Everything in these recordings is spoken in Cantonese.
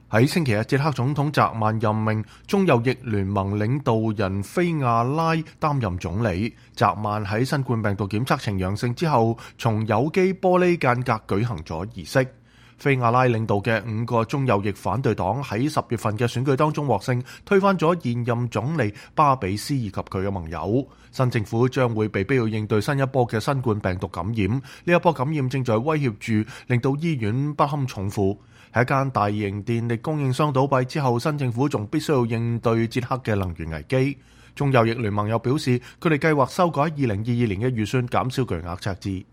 喺星期日，捷克總統澤曼任命中右翼聯盟領導人菲亞拉擔任總理。澤曼喺新冠病毒檢測呈陽性之後，從有機玻璃間隔舉行咗儀式。菲亞拉領導嘅5個中右翼反對黨喺10月份嘅選舉當中獲勝，推翻咗現任總理巴比斯以及佢嘅盟友。新政府將會被逼要應對新一波嘅新冠病毒感染，呢一波感染正在威脅住令到醫院不堪重負。喺一間大型電力供應商倒閉之後，新政府仲必須要應對捷克嘅能源危機。中右翼聯盟又表示，佢哋計劃修改2022年嘅預算，減少巨額赤字。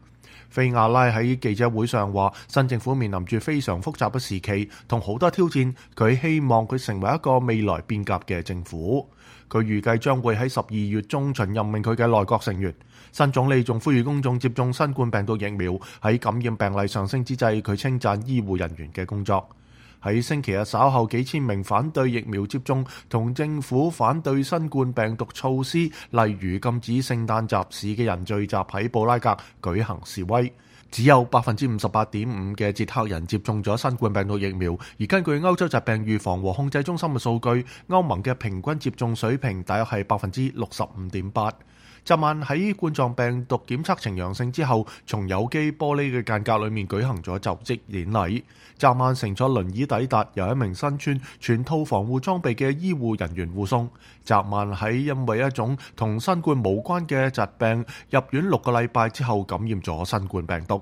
菲亞拉喺記者會上話，新政府面臨住非常複雜嘅時期同好多挑戰，佢希望佢成為一個未來變革嘅政府。佢預計將會喺12月中旬任命佢嘅內閣成員。新總理仲呼籲公眾接種新冠病毒疫苗。喺感染病例上升之際，佢稱讚醫護人員嘅工作。喺星期日稍後，幾千名反對疫苗接種同政府反對新冠病毒措施，例如禁止聖誕集市嘅人聚集喺布拉格舉行示威。只有 58.5% 嘅捷克人接種咗新冠病毒疫苗，而根據歐洲疾病預防和控制中心嘅數據，歐盟嘅平均接種水平大約係 65.8%。昨晚喺冠狀病毒檢測呈陽性之後，從有機玻璃嘅間隔裏面舉行咗就職典禮。昨晚乘坐輪椅抵達，由一名身穿全套防護裝備嘅醫護人員護送。昨晚喺因為一種同新冠無關嘅疾病入院6個禮拜之後感染咗新冠病毒。